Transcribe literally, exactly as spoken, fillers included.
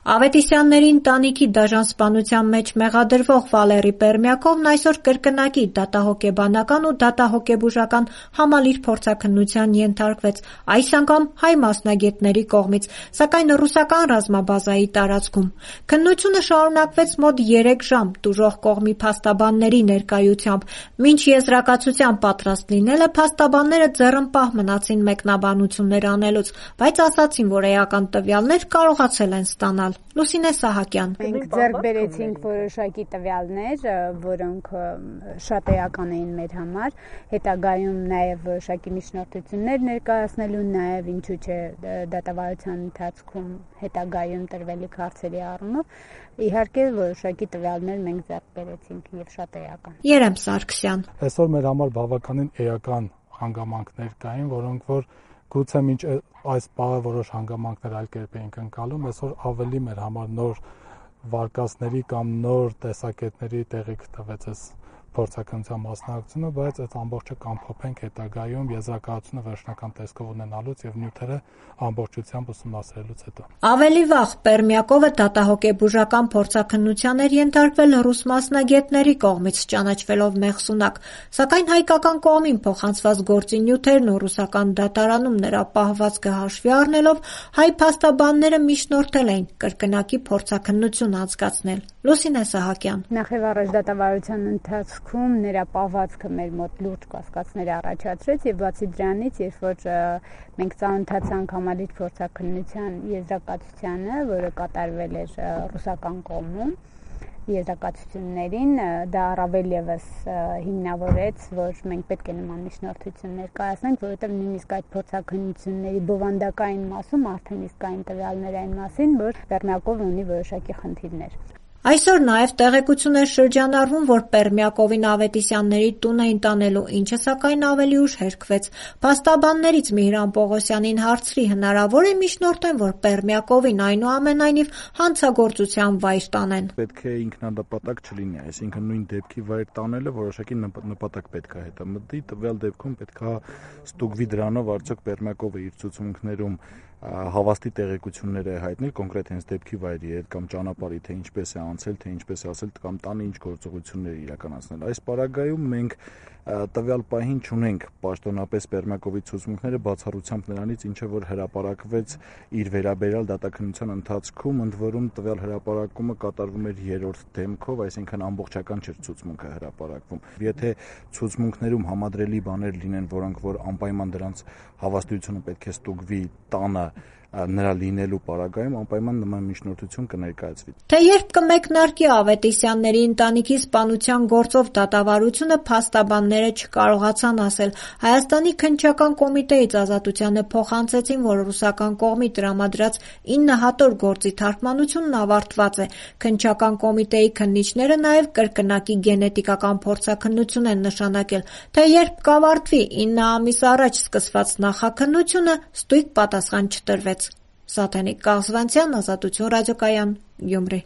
Ավետիսյանների ընտանիքի դաժան սպանության մեջ մեղադրվող Վալերի Պերմյակովն այսօր կրկնակի դատահոգեբանական ու դատահոգեբուժական համալիր փորձաքննության ենթարկվեց, այս անգամ հայ մասնագետների կողմից, սակայն ռուսական ռազմաբազայի տարածքում։ Քննությունը շարունակվեց մոտ երեք ժամ տուժող կողմի փաստաբանների ներկայությամբ։ Մինչ եզրակացության պատրաստ լինելը փաստաբանները ձեռնպահ մնացին մեկնաբանություններ անելուց, բայց ասացին, որ էական տվյալներ կարողացել են ստանալ։ Լուսինե Սահակյան. Մենք ձեռք բերեցինք որոշակի տվյալներ, որոնք շատ էական էին մեր համար, հետագայում նաև որոշակի միջնորդություններ ներկայացնելու, նաև ինչու՞ չէ դատավարության ընթացքում հետագայում տրվելիք հարցերի առումով, իհարկե որոշակի տվյալներ մենք ձեռք բերեցինք եւ շատ էական։ Երեմ Սարգսյան. Այսօր մեր համար բավականին էական հանգամանքներ կային, որոնք որ գուցե մինչ այս պահը որոշ հանգամանքներ այլ կերպ էինք ընկալում, այսօր ավելի մեր համար նոր վարկածների կամ նոր տեսակետների տեղիք տվեց այս փորձաքննության մասնակցությունը, բայց այդ ամբողջը կամփոփենք հետագայում եզրակացությունը վերջնական տեսքով ունենալուց եւ նյութերը ամբողջությամբ ուսումնասիրելուց հետո։ Ավելի վաղ Պերմյակովը դատահոգեբուժական փորձաքննության էր ենթարկվել ռուս մասնագետների կողմից, ճանաչվելով մեղսունակ, սակայն հայկական կողմին փոխանցված գործի նյութերն ու ռուսական դատարանում նրա պահվածքը հաշվի առնելով, հայ փաստաբանները միջնորդել էին կրկնակի փորձաքննություն անցկացնել։ Լուսինե Սահակյան. Նախևառաջ դատավարության ընթացքում նրա պահվածքը մեր մոտ լուրջ կասկածներ առաջացրեց եւ բացի դրանից, երբ որ մենք ծանոթացանք համալիր փորձաքննության եզրակացությանը, որը կատարվել էր ռուսական կողմում, եզրակացություններին, դա առավել եւս հիմնավորեց, որ մենք պետք է նման միջնորդություններ կայացնենք, որովհետեւ նույնիսկ այդ փորձաքննությունների բովանդակային մասում արդեն իսկ կային տվյալներ այն մասին, որ Պերմյակովն ունի որոշակի խնդիրներ։ Այսօր նաև տեղեկություն է շրջանառվում, որ Պերմյակովին Ավետիսյանների տուն էին տանելու, ինչը սակայն ավելի ուշ հերքվեց։ Փաստաբաններից Միհրան Պողոսյանին հարցրի, հնարավոր է միջնորդեն, որ Պերմյակովին այնուամենայնիվ հանցագործության վայր տանեն։ Պետք է ինքնանպատակ չլինի, այսինքն նույն դեպքի վայր տանելը որոշակի նպատակ պետք է հետամտի, տվյալ դեպքում պետք է ստուգվի դրանով արդյոք Պերմյակովը իր ցուցմունքներում հավաստի տեղեկություններ է հայտնել կոնկրետ հենց դեպքի վայրի հետ կամ ճանապարհի, թե ինչպես է անցել, թե ինչպես է ասել կամ տանը ինչ գործողություններ իրականացնել։ Այս պարագայում մենք տվյալ պահին չունենք պաշտոնապես Պերմյակովի ցուցմունքները բացառությամբ նրանից, ինչը որ հրապարակվեց իր վերաբերյալ դատաքննության ընթացքում, ընդ որում տվյալ հրապարակումը կատարվում էր երրորդ դեմքով, այսինքն ամբողջական չէր ցուցմունքը հրապարակվում։ Եթե ցուցմունքներում համադրելի բաներ լինեն, որոնք որ անպայման դրանց հավաստիությունը պետք է ստուգվի տանը նրա լինելու պարագայում, անպայման նման միջնորդություն կներկայացվի։ Թե երբ կմեկնարկի Ավետիսյանների ընտանիքի սպանության գործով դատավարությունը, փաստաբանները չկարողացան ասել։ Հայաստանի քննչական կոմիտեից Ազատությանը փոխանցեցին, որ ռուսական կողմի տրամադրած ինը հատոր գործի թարգմանությունն ավարտված է։ Քննչական կոմիտեի քննիչները նաև կրկնակի գենետիկական փորձաքննություն են նշանակել, թե երբ կավարտվի ինը ամիս առաջ սկսված նախաքննությունը, ստույգ պատասխան չտրվեց։ Սաթենիկ Կաղզվանցյան, Ազատություն ռադիոկայան, Գյումրի։